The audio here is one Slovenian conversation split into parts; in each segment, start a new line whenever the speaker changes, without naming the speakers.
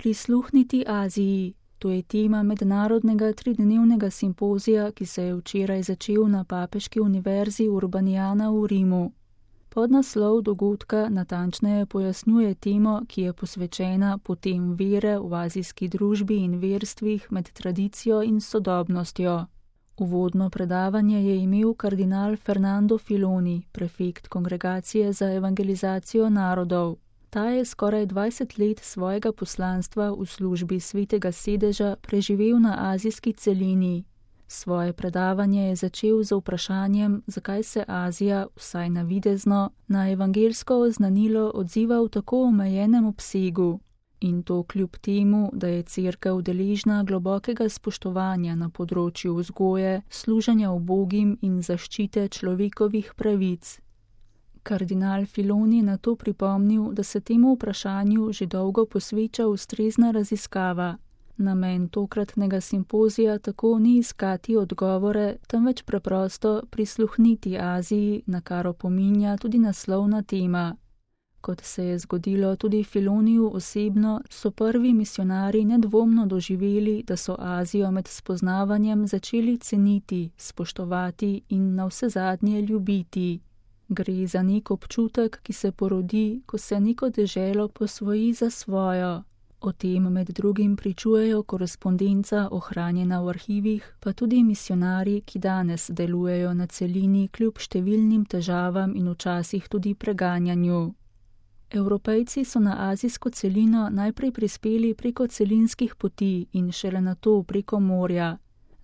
Prisluhniti Aziji. To je tema mednarodnega 3-dnevnega simpozija, ki se je včeraj začel na Papeški univerzi Urbaniana v Rimu. Podnaslov dogodka natančneje pojasnjuje temo, ki je posvečena potem vere v azijski družbi in verstvih med tradicijo in sodobnostjo. Uvodno predavanje je imel kardinal Fernando Filoni, prefekt Kongregacije za evangelizacijo narodov. Ta je skoraj 20 let svojega poslanstva v službi Svetega sedeža preživel na azijski celini. Svoje predavanje je začel z vprašanjem, zakaj se Azija, vsaj navidezno, na evangeljsko oznanilo odziva v tako omejenem obsegu. In to kljub temu, da je Cerkev deležna globokega spoštovanja na področju vzgoje, služenja ubogim in zaščite človekovih pravic. Kardinal Filoni na to pripomnil, da se temu vprašanju že dolgo posveča ustrezna raziskava. Namen tokratnega simpozija tako ni iskati odgovore, temveč preprosto prisluhniti Aziji, na kar opominja tudi naslovna tema. Kot se je zgodilo tudi Filoniju osebno, so prvi misionarji nedvomno doživeli, da so Azijo med spoznavanjem začeli ceniti, spoštovati in navsezadnje ljubiti. Gre za nek občutek, ki se porodi, ko se neko deželo posvoji za svojo. O tem med drugim pričujejo korespondenca ohranjena v arhivih, pa tudi misionarji, ki danes delujejo na celini kljub številnim težavam in včasih tudi preganjanju. Evropejci so na azijsko celino najprej prispeli preko celinskih poti in šele nato preko morja.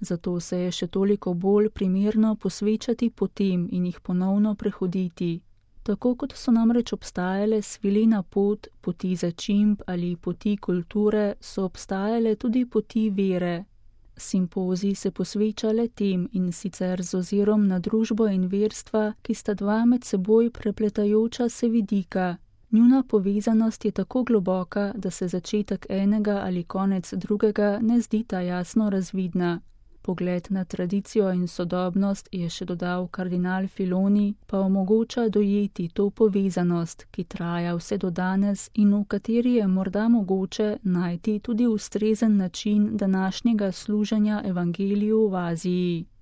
Zato se je še toliko bolj primerno posvečati potem in jih ponovno prehoditi. Tako kot so namreč obstajale svilena pot, poti začimb ali poti kulture, so obstajale tudi poti vere. Simpozij se posveča le tem in sicer z ozirom na družbo in verstva, ki sta dva med seboj prepletajoča se vidika. Njuna povezanost je tako globoka, da se začetek enega ali konec drugega ne zdita jasno razvidna. Pogled na tradicijo in sodobnost, je še dodal kardinal Filoni, pa omogoča dojeti to povezanost, ki traja vse do danes in v kateri je morda mogoče najti tudi ustrezen način današnjega služenja evangeliju v Aziji.